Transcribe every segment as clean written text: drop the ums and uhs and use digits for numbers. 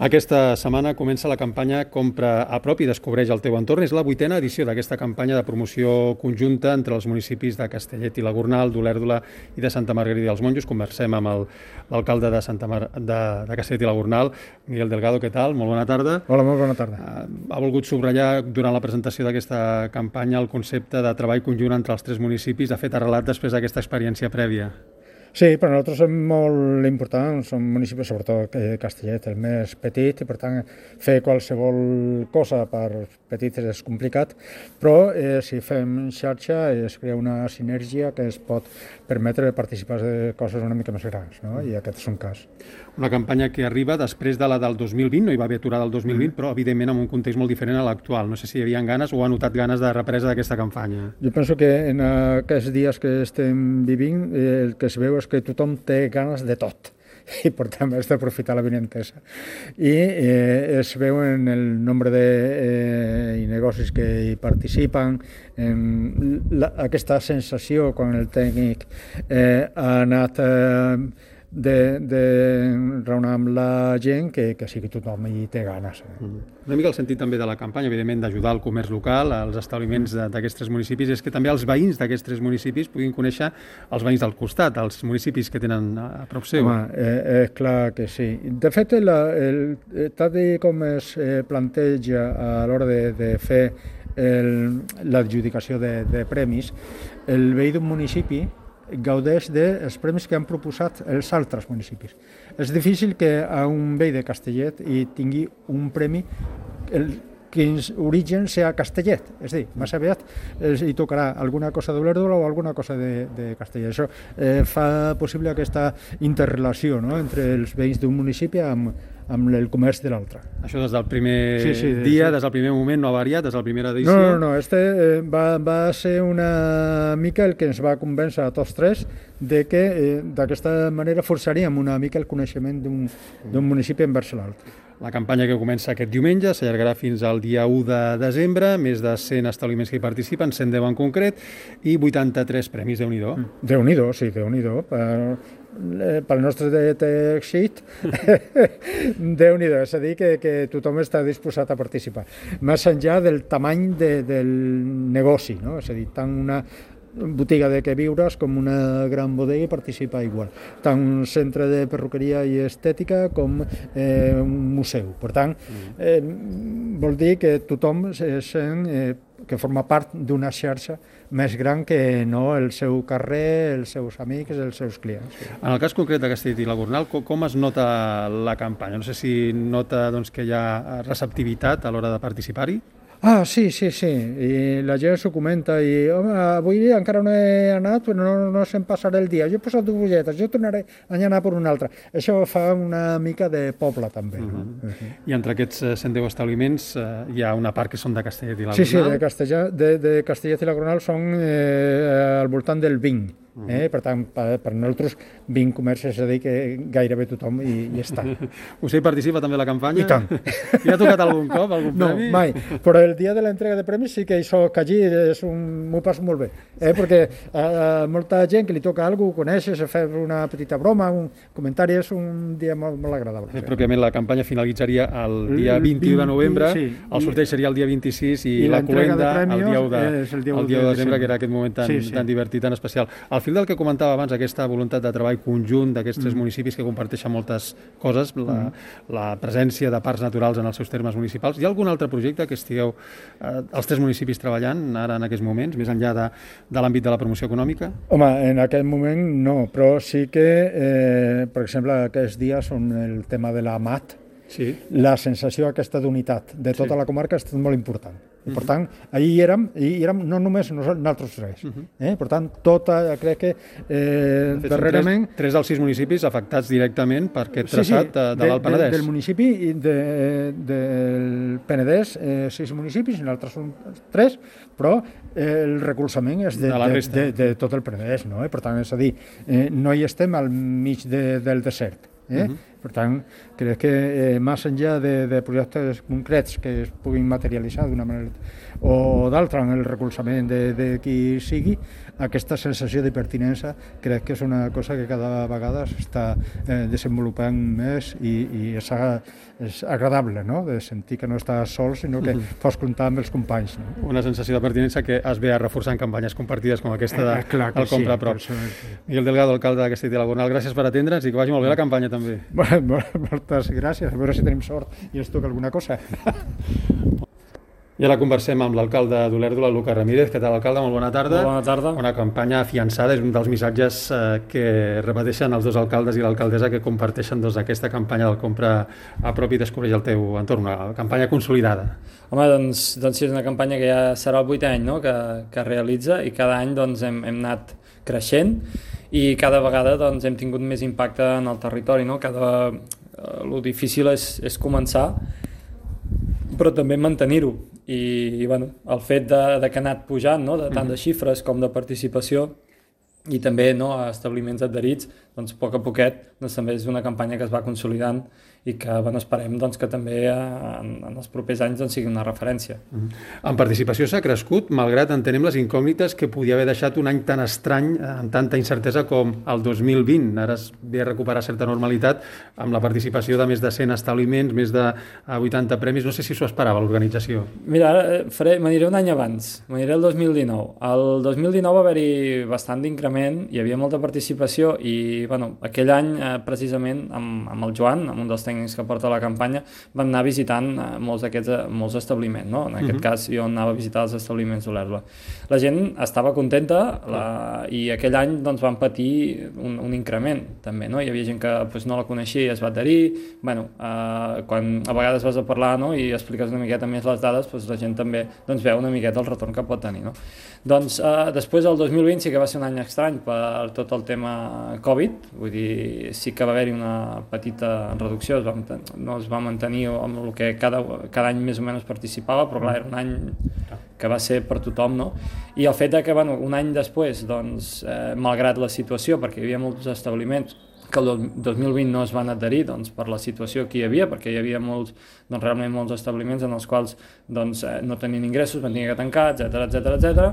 Aquesta setmana comença la campanya Compra a prop i descobreix el teu entorn. És la 8a edició d'aquesta campanya de promoció conjunta entre els municipis de Castellet i la Gornal, d'Olèrdola i de Santa Margarida i els Monjos. Conversem amb l'alcalde de Castellet i la Gornal, Miguel Delgado. Què tal? Molt bona tarda. Hola, molt bona tarda. Ha volgut subratllar durant la presentació d'aquesta campanya el concepte de treball conjunt entre els tres municipis, de fet arrelat després d'aquesta experiència prèvia. Sí, per nosaltres és molt important, són municipis, sobretot Castellet, el més petit, i per tant fer qualsevol cosa per petits és complicat, però si fem xarxa es crea una sinergia que es pot permetre participar de coses una mica més grans, no? I aquest és un cas. Una campanya que arriba després de la del 2020, no hi va haver aturada del 2020, però evidentment en un context molt diferent a l'actual. No sé si hi havia ganes o ha notat ganes de represa d'aquesta campanya. Jo penso que en aquests dies que estem vivint el que es veu és que tothom té ganes de tot i per tant has d'aprofitar l'avinentesa. I es veu en el nombre de negocis que hi participen, en aquesta sensació quan el tècnic ha anat de raonar amb la gent que sí que tothom hi té ganes. Una mica el sentit també de la campanya, evidentment, d'ajudar el comerç local, als establiments d'aquests tres municipis, és que també els veïns d'aquests tres municipis puguin conèixer els veïns del costat, els municipis que tenen a prop seu. Home, clar que sí. De fet, tal com es planteja a l'hora de fer l'adjudicació de premis, el veí d'un municipi gaudeix dels premis que han proposat els altres municipis. És difícil que a un veí de Castellet hi tingui un premi que en origen sea Castellet, és a dir, més aviat hi tocarà alguna cosa d'Olèrdola o alguna cosa de Castellet. Això fa possible aquesta interrelació, no?, entre els veïns d'un municipi amb el comerç de l'altre. Això des del primer dia, des del primer moment, no ha variat, des de la primera edició? No, va ser una mica el que ens va convèncer a tots tres de que d'aquesta manera forçaríem una mica el coneixement d'un municipi envers l'altre. La campanya que comença aquest diumenge s'allargarà fins al dia 1 de desembre, més de 100 establiments que hi participen, 110 en concret, i 83 premis, Déu-n'hi-do. Déu-n'hi-do, sí, Déu-n'hi-do. Pel nostre tèxit, Déu-n'hi-do, és a dir, que tothom està disposat a participar. Més enllà del tamany del negoci, no? És a dir, tant una botiga de queviures com una gran bodega participa igual, tant un centre de perruqueria i estètica com un museu. Per tant, vol dir que tothom sent que forma part d'una xarxa més gran que no el seu carrer, els seus amics, els seus clients. En el cas concret de Castellet i la Gornal, com es nota la campanya? No sé si nota que hi ha receptivitat a l'hora de participar-hi. Sí, i la gent s'ho comenta i home, avui encara no he anat, però no se'm passarà el dia, jo he posat 2 butlletes, jo tornaré a anar per una altra. Això fa una mica de poble també. I entre aquests 110 establiments hi ha una part que són de Castellet i la Gornal? Sí, de Castellet i la Gornal són al voltant del 20. Per tant, per nosaltres 20 comerços, és a dir, que gairebé tothom hi està. Vostè hi participa també a la campanya? I tant. I ha tocat algun cop, algun premi? No, mai, però el dia de l'entrega de premis sí que hi soc allí, m'ho passo molt bé, perquè molta gent que li toca alguna cosa, ho coneixes, fer una petita broma, un comentari, és un dia molt agradable. Pròpiament la campanya finalitzaria el dia 21 de novembre, el sorteig seria el dia 26 i la cloenda el dia 1 de desembre, que era aquest moment tan divertit, tan especial. Al fil del que comentava abans, aquesta voluntat de treball conjunt d'aquests tres municipis que comparteixen moltes coses, la presència de parcs naturals en els seus termes municipals. Hi ha algun altre projecte que estigueu els tres municipis treballant ara en aquests moments, més enllà de l'àmbit de la promoció econòmica? Home, en aquest moment no, però sí que, per exemple, aquests dies on el tema de la MAT, la sensació aquesta d'unitat de tota la comarca ha estat molt important. I, per tant, ahir hi érem no només nosaltres tres. Per tant, crec que darrerament... 3 dels 6 municipis afectats directament per aquest traçat de l'Alt Penedès. Del municipi del Penedès, 6 municipis, nosaltres són 3, però el recolzament és de tot el Penedès, no? Per tant, és a dir, no hi estem al mig del desert. Per tant, crec que més enllà de projectes concrets que es puguin materialitzar d'una manera o d'altra en el recolzament de qui sigui, aquesta sensació de pertinença crec que és una cosa que cada vegada s'està desenvolupant més i és agradable, no? De sentir que no estàs sol, sinó que pots comptar amb els companys. No? Una sensació de pertinença que es ve a reforçar en campanyes compartides com aquesta del Compra a prop. Miguel Delgado, alcalde de Castellet i la Gornal, gràcies per atendre'ns i que vagi molt bé la campanya també. Moltes gràcies, a veure si tenim sort i ens toca alguna cosa. I ara conversem amb l'alcalde d'Olèrdola, Lucas Ramírez. Què tal, alcalde? Molt bona tarda. Bona tarda. Una campanya afiançada, és un dels missatges que repeteixen els dos alcaldes i l'alcaldessa que comparteixen aquesta campanya del Compra a prop i descobreix el teu entorn, una campanya consolidada. Home, doncs sí, és una campanya que ja serà el 8è any, no?, que realitza, i cada any doncs, hem anat creixent i cada vegada doncs, hem tingut més impacte en el territori. No? Lo difícil és començar, però també mantenir-ho. I bueno, el fet de que ha anat pujant, no? De tant de xifres com de participació i també no, a establiments adherits, doncs a poquet doncs, també és una campanya que es va consolidant i que bueno, esperem doncs, que també en els propers anys doncs, sigui una referència. En participació s'ha crescut, malgrat entenem les incògnites que podia haver deixat un any tan estrany, amb tanta incertesa com el 2020. Ara es ve a recuperar certa normalitat amb la participació de més de 100 establiments, més de 80 premis. No sé si s'ho esperava l'organització. Mira, ara m'aniré un any abans, m'aniré el 2019. El 2019 va haver-hi bastant d'increment, hi havia molta participació i bueno, aquell any precisament amb el Joan, amb un dels tècnics que porta la campanya, vam anar visitant molts establiments, no? En aquest cas jo anava a visitar els establiments d'Olèrdola. La gent estava contenta i aquell any doncs, van patir un increment també, no? Hi havia gent que doncs, no la coneixia i es va adherir. Bueno, quan a vegades vas a parlar, no? I expliques una miqueta més les dades, doncs, la gent també doncs, veu una miqueta el retorn que pot tenir. No? Doncs després el 2020 sí que va ser un any estrany per tot el tema Covid, vull dir, sí que va haver-hi una petita reducció, no es va mantenir amb el que cada any més o menys participava, però clar, era un any que va ser per tothom, no? I el fet que bueno, un any després, doncs, malgrat la situació, perquè hi havia molts establiments que el 2020 no es van adherir doncs, per la situació que hi havia, perquè hi havia realment molts establiments en els quals doncs, no tenien ingressos, van tenir que tancar, etc.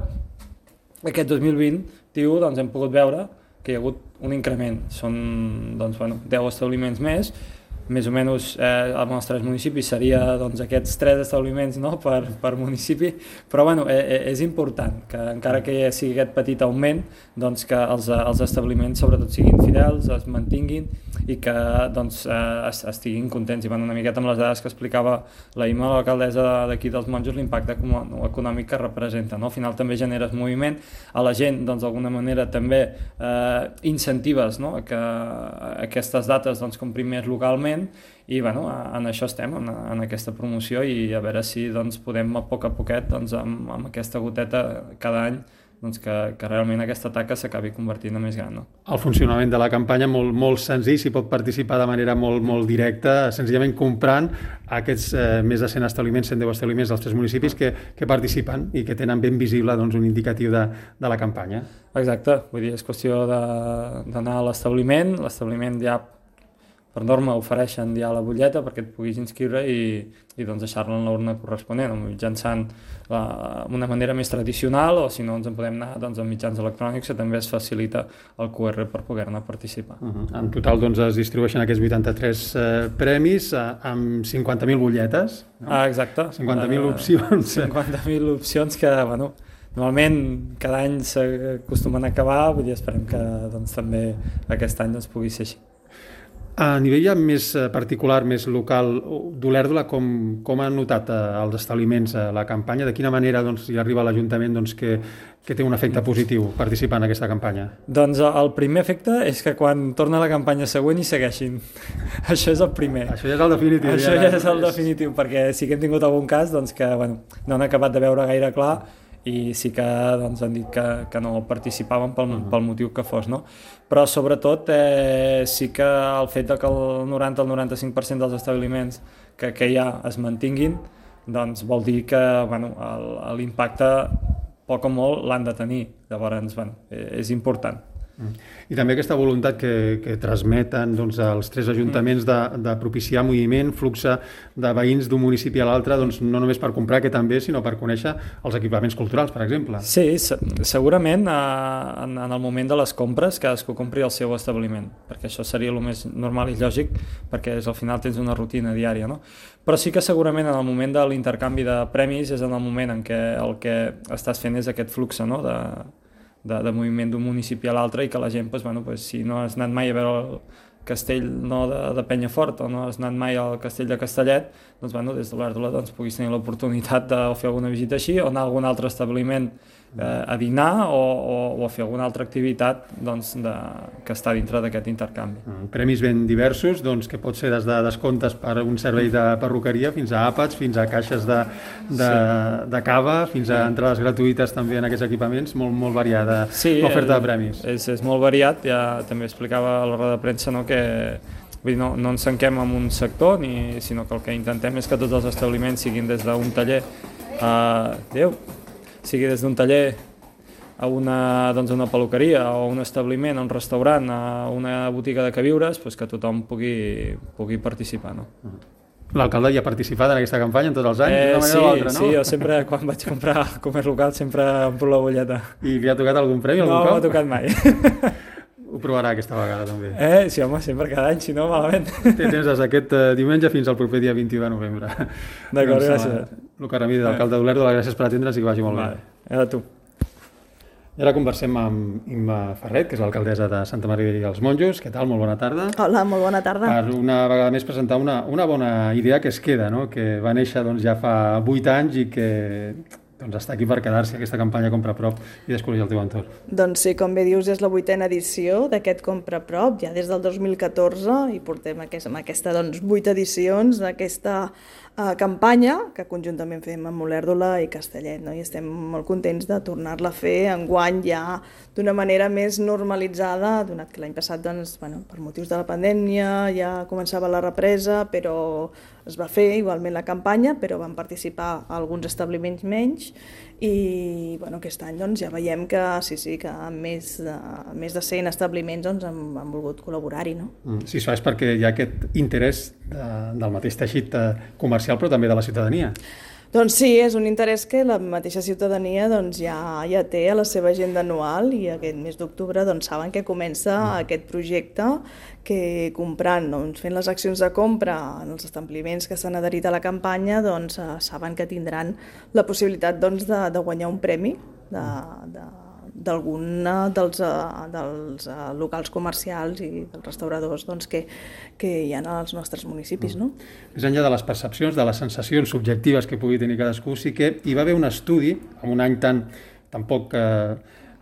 Aquest 2020 doncs, hem pogut veure que hi ha hagut un increment. Són 10 establiments més o menys als 3 municipis seria doncs, aquests 3 establiments no, per municipi, però bueno, és important que encara que sigui aquest petit augment, doncs, que els establiments sobretot siguin fidels, es mantinguin i que doncs, estiguin contents. I bueno, una miqueta amb les dades que explicava la Imma, l'alcaldessa d'aquí dels Monjos, l'impacte econòmic que representa. No? Al final també generes moviment, a la gent doncs, d'alguna manera també incentives no? Que aquestes dates doncs, comprin més localment. I bueno, en això estem, en aquesta promoció, i a veure si doncs, podem a poquet doncs, amb aquesta goteta cada any doncs, que realment aquesta taca s'acabi convertint en més gran. No? El funcionament de la campanya molt senzill, s'hi pot participar de manera molt directa, senzillament comprant aquests més de 100 establiments, 110 establiments dels 3 municipis que participen i que tenen ben visible doncs, un indicatiu de la campanya. Exacte, vull dir, és qüestió d'anar a l'establiment ja per norma ofereixen ja la butlleta perquè et puguis inscriure i doncs deixar-la en l'urna corresponent, mitjançant una manera més tradicional, o si no ens en podem anar doncs, amb mitjans electrònics, que també es facilita el QR per poder-ne participar. En total doncs, es distribueixen aquests 83 premis amb 50.000 butlletes. No? Exacte. 50.000 opcions. 50.000 opcions que, bueno, normalment cada any s'acostumen a acabar, vull dir, esperem que doncs, també aquest any doncs, pugui ser així. A nivell ja més particular, més local d'Olèrdola, com han notat els establiments la campanya? De quina manera doncs, hi arriba l'Ajuntament doncs, que té un efecte positiu participar en aquesta campanya? Doncs el primer efecte és que quan torna la campanya següent hi segueixin. Això és el primer. Això ja és el definitiu. Això ja és el definitiu, perquè sí que hem tingut algun cas doncs, que bueno, no han acabat de veure gaire clar i sí que doncs, han dit que no participaven pel motiu que fos. No? Però sobretot sí que el fet que el 90-95% dels establiments que hi ha es mantinguin, doncs vol dir que bueno, l'impacte poc o molt l'han de tenir. Llavors, bueno, és important. I també aquesta voluntat que transmeten els 3 ajuntaments de propiciar moviment, flux de veïns d'un municipi a l'altre, no només per comprar, que també, sinó per conèixer els equipaments culturals, per exemple. Sí, segurament en el moment de les compres cadascú compri el seu establiment, perquè això seria el més normal i lògic, perquè al final tens una rutina diària, no? Però sí que segurament en el moment de l'intercanvi de premis és en el moment en què el que estàs fent és aquest flux, no?, de moviment d'un municipi a l'altre, i que la gent, si no has anat mai a veure el castell de Penyafort o no has anat mai al castell de Castellet, des de l'Olèrdola puguis tenir l'oportunitat de fer alguna visita així, o anar a algun altre establiment a dinar o a fer alguna altra activitat que està dintre d'aquest intercanvi. Premis ben diversos, que pot ser des de descomptes per un servei de perruqueria fins a àpats, fins a caixes de cava, fins a entrades gratuïtes també en aquests equipaments, molt variada l'oferta de premis. És molt variat, ja també explicava a la roda de premsa que no ens tanquem en un sector, sinó que el que intentem és que tots els establiments siguin des d'un taller sigui des d'un taller a una peluqueria, o un establiment, a un restaurant, a una botiga de queviures, que tothom pugui participar. No? L'alcalde ja ha participat en aquesta campanya en tots els anys, d'una manera o altra, no? Sí, jo sempre, quan vaig comprar al comerç local, sempre omplo la butlleta. I li ha tocat algun premi, algun cop? No m'ha tocat mai. Ho provarà aquesta vegada, també. Sí, home, sempre cada any, si no, malament. Té temps des d'aquest diumenge fins al proper dia 21 de novembre. D'acord, gràcies. Lucas Ramírez, alcalde d'Olèrdola, gràcies per atendre'ns i que vagi molt bé. A tu. I ara conversem amb Imma Ferret, que és l'alcaldessa de Santa Maria i els Monjos. Què tal? Molt bona tarda. Hola, molt bona tarda. Per una vegada més presentar una bona idea que es queda, no? Que va néixer ja fa 8 anys i que està aquí per quedar-se, aquesta campanya Compra a Prop i Descobrir el teu entorn. Doncs sí, com bé dius, és la 8a edició d'aquest Compra a Prop, ja des del 2014, i portem amb aquesta 8 edicions d'aquesta campanya que conjuntament fem amb Olèrdola i Castellet, no? I estem molt contents de tornar-la a fer enguany ja d'una manera més normalitzada, donat que l'any passat, per motius de la pandèmia ja començava la represa, però es va fer igualment la campanya, però van participar alguns establiments menys, i aquest any ja veiem que que més de 100 establiments han volgut col·laborar-hi. No? Sí, això és perquè hi ha aquest interès del mateix teixit comercial, però també de la ciutadania. Doncs sí, és un interès que la mateixa ciutadania ja té a la seva agenda anual, i aquest mes d'octubre saben que comença aquest projecte que comprant, fent les accions de compra en els establiments que s'han adherit a la campanya, saben que tindran la possibilitat de guanyar un premi d'algun dels locals comercials i dels restauradors que hi ha als nostres municipis. No? Més enllà de les percepcions, de les sensacions subjectives que pugui tenir cadascú, sí que hi va haver un estudi, en un any tan poc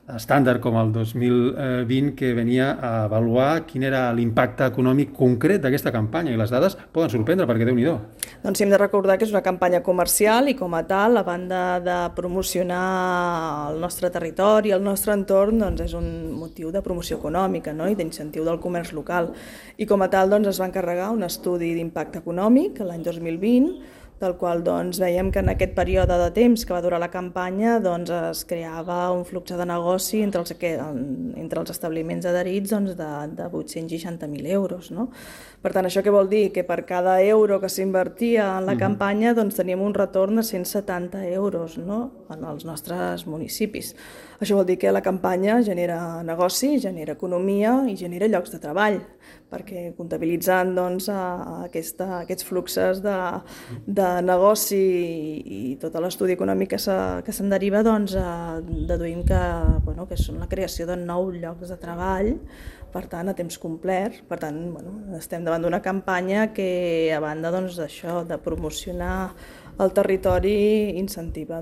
estàndard com el 2020, que venia a avaluar quin era l'impacte econòmic concret d'aquesta campanya, i les dades poden sorprendre, perquè Déu-n'hi-do. Doncs hem de recordar que és una campanya comercial i, com a tal, a banda de promocionar el nostre territori, el nostre entorn, és un motiu de promoció econòmica, no? I d'incentiu del comerç local. I, com a tal, es va encarregar un estudi d'impacte econòmic l'any 2020, del qual veiem que en aquest període de temps que va durar la campanya es creava un flux de negoci entre els establiments adherits de 860.000 euros. No? Per tant, això què vol dir? Que per cada euro que s'invertia en la campanya teníem un retorn de 170 euros, no? En els nostres municipis. Això vol dir que la campanya genera negoci, genera economia i genera llocs de treball, perquè comptabilitzant aquests fluxos de negoci i tot l'estudi econòmic que se'n deriva, deduïm que són la creació de 9 llocs de treball, per tant, a temps complet. Per tant, estem davant d'una campanya que, a banda d'això, de promocionar el territori, incentiva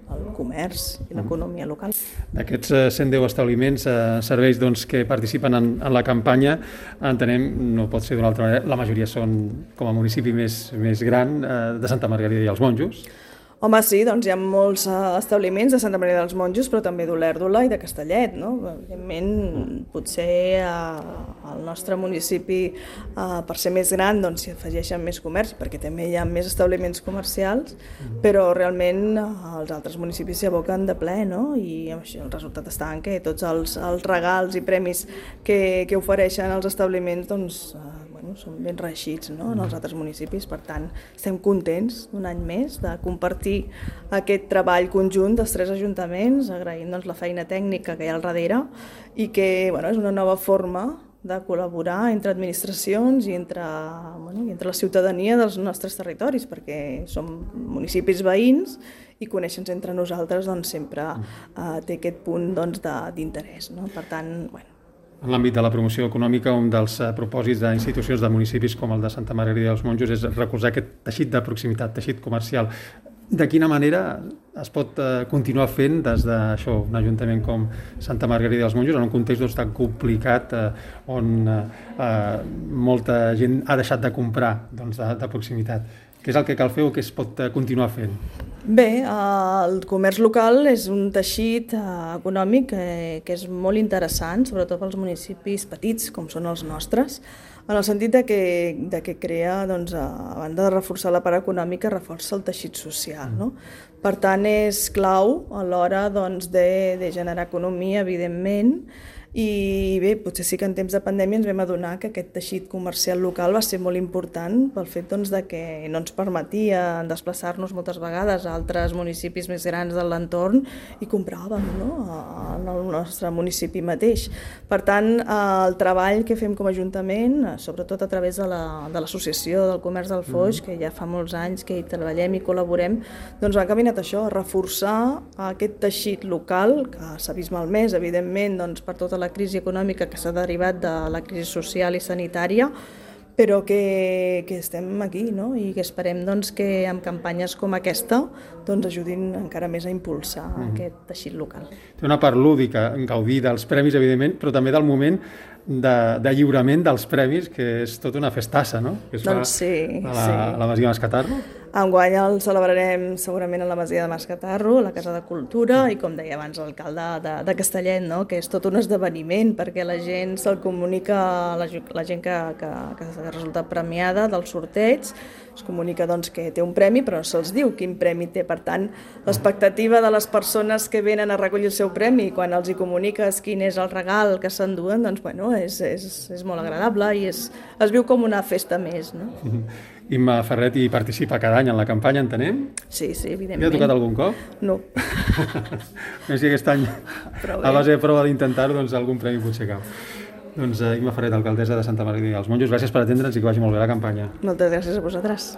el comerç i l'economia local. D'aquests 110 establiments, serveis que participen en la campanya, entenem, no pot ser d'una altra manera, la majoria són, com a municipi més gran, de Santa Margarida i els Monjos. Home, sí, doncs hi ha molts establiments de Santa Maria dels Monjos, però també d'Olèrdola i de Castellet, no? Evidentment, potser al nostre municipi, per ser més gran, doncs s'hi afegeixen més comerç, perquè també hi ha més establiments comercials, però realment els altres municipis s'hi aboquen de ple, no? I el resultat està en que tots els regals i premis que ofereixen els establiments, doncs, són ben reeixits, no? En els altres municipis. Per tant, estem contents un any més de compartir aquest treball conjunt dels 3 ajuntaments, agraint doncs, la feina tècnica que hi ha al darrere i que és una nova forma de col·laborar entre administracions i entre la ciutadania dels nostres territoris, perquè som municipis veïns i conèixer-nos entre nosaltres doncs, sempre té aquest punt d'interès. No? Per tant, En l'àmbit de la promoció econòmica, un dels propòsits d'institucions de municipis com el de Santa Margarida dels Monjos és recolzar aquest teixit de proximitat, teixit comercial. De quina manera es pot continuar fent des d'això, un ajuntament com Santa Margarida dels Monjos, en un context tan complicat on molta gent ha deixat de comprar de proximitat? Què és el que cal fer o què es pot continuar fent? Bé, el comerç local és un teixit econòmic que és molt interessant, sobretot pels municipis petits, com són els nostres, en el sentit que crea, doncs, a banda de reforçar la part econòmica, reforça el teixit social. No? Per tant, és clau a l'hora de generar economia, evidentment, i bé, potser sí que en temps de pandèmia ens vam adonar que aquest teixit comercial local va ser molt important pel fet que no ens permetia desplaçar-nos moltes vegades a altres municipis més grans de l'entorn i compràvem en el nostre municipi mateix. Per tant, el treball que fem com a Ajuntament, sobretot a través de l'Associació del Comerç del Foix, que ja fa molts anys que hi treballem i col·laborem, doncs va encaminat això, a reforçar aquest teixit local, que s'ha vist malmès, evidentment, per tota la crisi econòmica que s'ha derivat de la crisi social i sanitària, però que estem aquí, no? I que esperem que amb campanyes com aquesta ajudin encara més a impulsar aquest teixit local. Té una part lúdica, gaudir dels premis, evidentment, però també del moment de lliurament dels premis, que és tota una festassa, no? Que es fa a la Masia Mascatarro. Enguany el celebrarem segurament a la Masia de Mascatarro, a la Casa de Cultura, i com deia abans l'alcalde de Castellet, no? Que és tot un esdeveniment, perquè la gent se'l comunica, la gent que ha resultat premiada del sorteig, es comunica que té un premi, però no se'ls diu quin premi té. Per tant, l'expectativa de les persones que venen a recollir el seu premi, quan els hi comuniques quin és el regal que s'enduen, és molt agradable i es viu com una festa més, no? Imma Ferret hi participa cada any en la campanya, entenem? Sí, evidentment. Li ha tocat algun cop? No. Més que aquest any, a base de prova d'intentar-ho, algun premi potser cau. Imma Ferret, alcaldessa de Santa Margarida dels Monjos, gràcies per atendre'ns i que vagi molt bé la campanya. Moltes gràcies a vosaltres.